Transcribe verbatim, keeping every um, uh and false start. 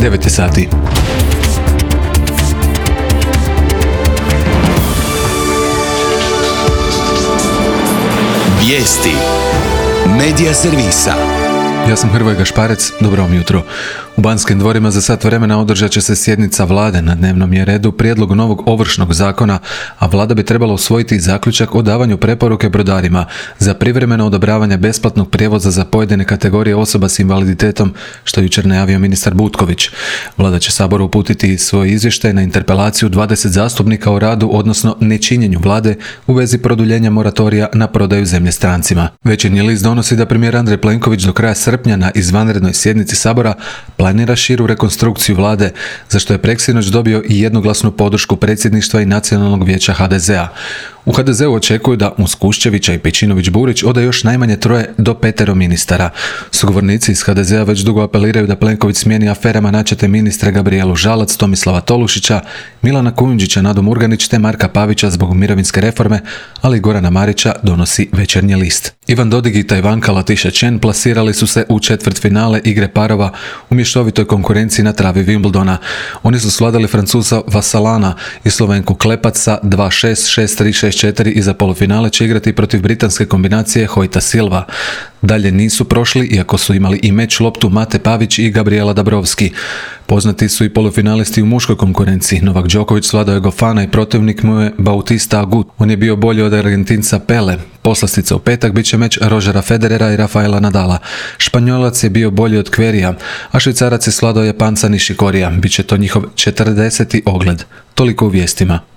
devet je sati. Vijesti Medija servisa. Ja sam Hrvoje Gašparec, dobro vam jutro. U Banskim dvorima za sat vremena održat će se sjednica vlade. Na dnevnom je redu prijedlog novog ovršnog zakona, a vlada bi trebala usvojiti zaključak o davanju preporuke brodarima za privremeno odobravanje besplatnog prijevoza za pojedine kategorije osoba s invaliditetom, što je jučer najavio ministar Butković. Vlada će Saboru uputiti svoj izvještaj na interpelaciju dvadeset zastupnika o radu, odnosno nečinjenju vlade u vezi produljenja moratorija na prodaju zemlje strancima. Večernji list donosi da premijer Andrej Plenković do kraja srpnja na izvanrednoj sjednici Sabora planira širu rekonstrukciju vlade, za što je preksinoć dobio i jednoglasnu podršku predsjedništva i Nacionalnog vijeća ha de zea. U ha de zeu očekuju da uz Kuščevića i Pejčinović-Burić ode još najmanje troje do petero ministara. Sugovornici iz ha de zea već dugo apeliraju da Plenković smijeni aferama načete ministre Gabrijelu Žalac, Tomislava Tolušića, Milana Kujundžića, Nadu Murganić te Marka Pavića zbog mirovinske reforme, ali Gorana Marića, donosi Večernji list. Ivan Dodig i Tajvanka Latiša Chen plasirali su se u četvrtfinale igre parova u mješovitoj konkurenciji na travi Wimbledona. Oni su svladali Francuza Vasalana i Slovenku Klepac sa dva šest, šest tri, šest četiri i za polufinale će igrati protiv britanske kombinacije Hojta Silva. Dalje nisu prošli, iako su imali i meč loptu Mate Pavić i Gabriela Dabrowski. Poznati su i polufinalisti u muškoj konkurenciji. Novak Đoković svladao je Gofana i protivnik mu je Bautista Agut. On je bio bolji od Argentinca Pele. Poslastica u petak bit će meč Rožera Federera i Rafaela Nadala. Španjolac je bio bolji od Kverija, a Švicarac je svladao Japanca Nishikorija. Biće to njihov četrdeseti ogled. Toliko u vijestima.